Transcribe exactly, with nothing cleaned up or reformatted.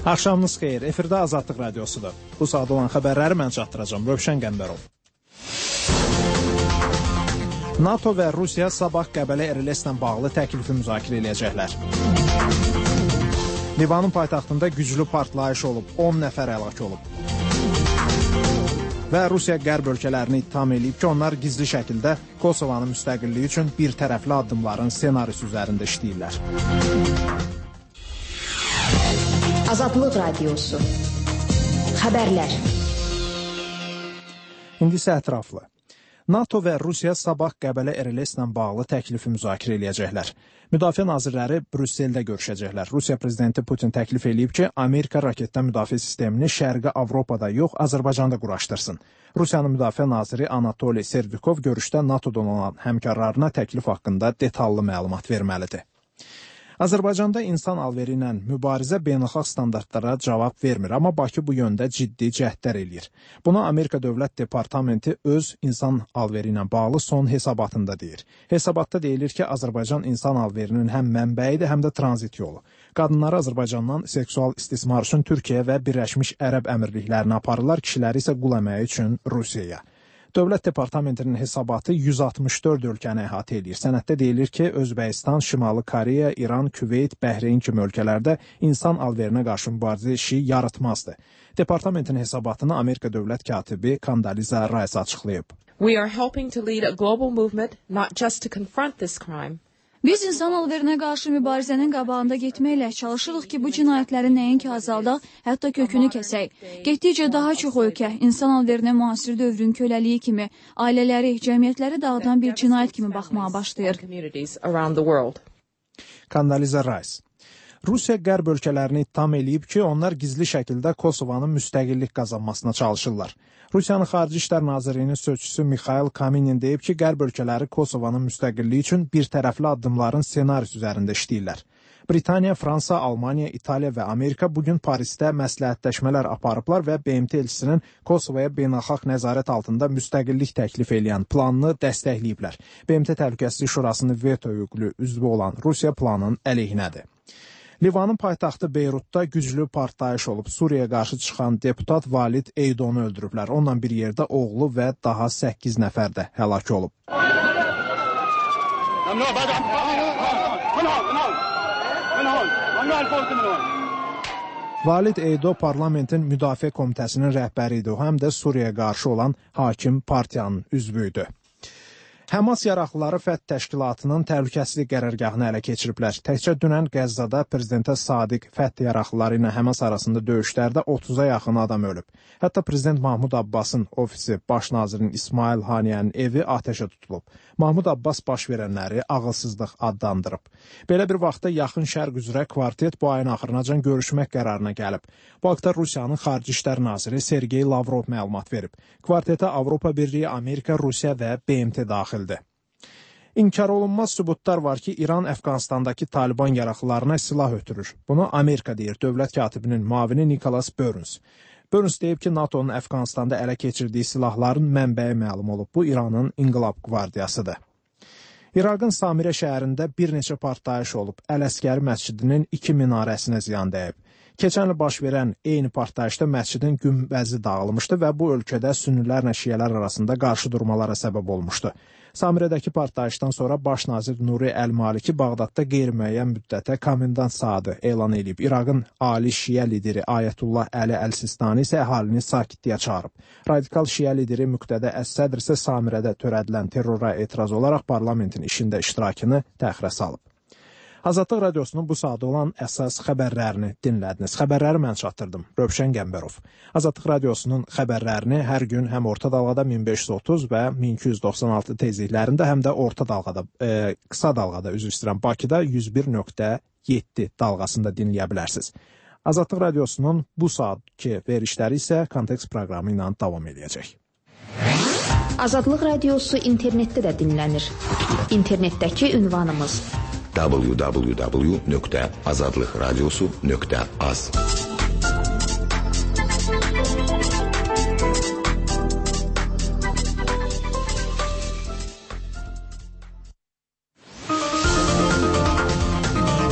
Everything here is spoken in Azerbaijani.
Axşamınız xeyir, efirdə Azadlıq Radiosudur. Bu saat olan xəbərləri mən çatdıracağım, Rövşən Qəmbərov. NATO və Rusiya sabah Qəbələ R L S-lə bağlı təklifi müzakirə edəcəklər. Livanın paytaxtında güclü partlayış olub, on nəfər həlak olub. Və Rusiya qərb ölkələrini ittiham edib ki, onlar gizli şəkildə Kosovanın müstəqilliyi üçün bir tərəfli addımların ssenarisi üzərində işləyirlər. Azadlıq Radiosu. Xəbərlər. İndi isə ətraflı. NATO və Rusiya sabah Qəbələ R L S-lə bağlı təklifi müzakirə edəcəklər. Müdafiə nazirləri Brüsseldə görüşəcəklər. Rusiya prezidenti Putin təklif edib ki, Amerika raketdən müdafiə sistemini Şərqi Avropada yox, Azərbaycanda quraşdırsın. Rusiyanın müdafiə naziri Anatoliy Servikov görüşdə NATOdan olan həmkarlarına təklif haqqında detallı məlumat verməlidir. Azərbaycanda insan alveri ilə mübarizə beynəlxalq standartlara cavab vermir, amma Bakı bu yöndə ciddi cəhdlər eləyir. Bunu Amerika Dövlət Departamenti öz insan alveri ilə bağlı son hesabatında deyir. Hesabatda deyilir ki, Azərbaycan insan alverinin həm mənbəyidir, həm də tranzit yolu. Qadınları Azərbaycandan seksual istismar üçün Türkiyə və Birləşmiş Ərəb Əmirliklərinə aparırlar, kişiləri isə qul əməyi üçün Rusiyaya. Dövlət Departamentinin hesabatı yüz altmış dörd ölkəni əhatə edir. Sənəddə deyilir ki, Özbəkistan, Şimali Koreya, İran, Küveyt, Bəhreyn kimi ölkələrdə insan alverinə qarşı mübarizə işi yarıtmazdı. Departamentin hesabatını Amerika dövlət katibi Condoleezza Rice açıqlayıb. We are helping to lead a global movement not just to confront this crime. Biz insan alverinə qarşı mübarizənin qabağında getməklə çalışırıq ki, bu cinayətləri nəinki azaldaq, hətta kökünü kəsək. Getdikcə daha çox ölkə insan alverinə müasir dövrün köləliyi kimi, ailələri, cəmiyyətləri dağıdan bir cinayət kimi baxmağa başlayır. Condoleezza Rice. Rusiya qərb ölkələrini ittiham eləyib ki, onlar gizli şəkildə Kosovanın müstəqillik qazanmasına çalışırlar. Rusiyanın Xarici İşlər Nazirliyinin sözçüsü Mikhail Kaminin deyib ki, qərb ölkələri Kosovanın müstəqilliyi üçün bir tərəfli addımların ssenarisi üzərində işləyirlər. Britaniya, Fransa, Almaniya, İtaliya və Amerika bugün Parisdə məsləhətləşmələr aparıblar və B M T elçisinin Kosovaya beynəlxalq nəzarət altında müstəqillik təklif edən planını dəstəkləyiblər. B M T Təhlükəsizlik Şurasının veto hüquqlu üzvü olan Rusiya planının əleyhinədir. Livanın paytaxtı Beyrutda güclü partlayış olub. Suriyaya qarşı çıxan deputat Valid Eydonu öldürüblər. Onunla bir yerdə oğlu və daha səkkiz nəfər də həlak olub. Valid Eydo parlamentin müdafiə komitəsinin rəhbəri idi. O həm də Suriyaya qarşı olan hakim partiyanın üzvü idi. Həmas yaraqlıları Fəth təşkilatının təhlükəsizlik qərargahını ələ keçiriblər. Təkcə dünən Qəzzada prezidentə Sadiq Fəth yaraqlıları ilə Həmas arasında döyüşlərdə otuz'a yaxın adam ölüb. Hətta prezident Mahmud Abbasın ofisi, baş nazirin İsmail Haniyənin evi atəşə tutulub. Mahmud Abbas baş verənləri ağılsızlıq adlandırıb. Belə bir vaxtda yaxın şərq üzrə kvartet bu ayın axırınacan görüşmək qərarına gəlib. Bu haqda Rusiyanın Xarici İşlər naziri Sergey Lavrov məlumat verib. Kvartetə Avropa Birliyi, Amerika, Rusiya və B M T daxildir. İnkar olunmaz sübutlar var ki, İran Əfqanistandakı Taliban yaraqlılarına silah ötürür. Bunu Amerika deyir, dövlət katibinin müavini Nicholas Burns. Burns deyib ki, NATO'nun Əfqanistanda ələ keçirdiyi silahların mənbəyi məlum olub. Bu İranın İnqilab Qvardiyasıdır. İraqın Samirə şəhərində bir neçə partlayış olub. Əl-Əskəri məscidinin iki minarəsinə ziyan dəyib. Keçən il baş verən eyni partlayışda məscidin günbəzi dağılmışdı və bu ölkədə sünnilərlə şiyələr arasında qarşıdurmalara səbəb olmuşdu. Samirədəki partlayışdan sonra baş nazir Nuri Əl-Maliki Bağdadda qeyri-müəyyən müddətə komendant saatı elan edib. İraqın ali şiə lideri Ayətullah Əli Əl-Sistani isə əhalini sakitliyə çağırıb. Radikal şiə lideri Müqtədə Əs-Sədr isə Samirədə törədilən terrora etiraz olaraq parlamentin işində iştirakını təxirə salıb. Azadlıq Radiosunun bu saatda olan əsas xəbərlərini dinlədiniz. Xəbərləri mən çatdırdım. Rövşən Qəmbərov. Azadlıq Radiosunun xəbərlərini hər gün həm orta dalğada min beş yüz otuz və min iki yüz doxsan altı tezliklərində, həm də orta dalğada, e, qısa dalğada, üzr istəyirəm, Bakıda yüz bir nöqtə yeddi dalğasında dinləyə bilərsiniz. Azadlıq Radiosunun bu saatki verişləri isə Kontekst proqramı ilə davam edəcək. Azadlıq Radiosu internetdə də dinlənir. İnternetdəki ünvanımız w w w nöqtə azadlıqradiosu nöqtə az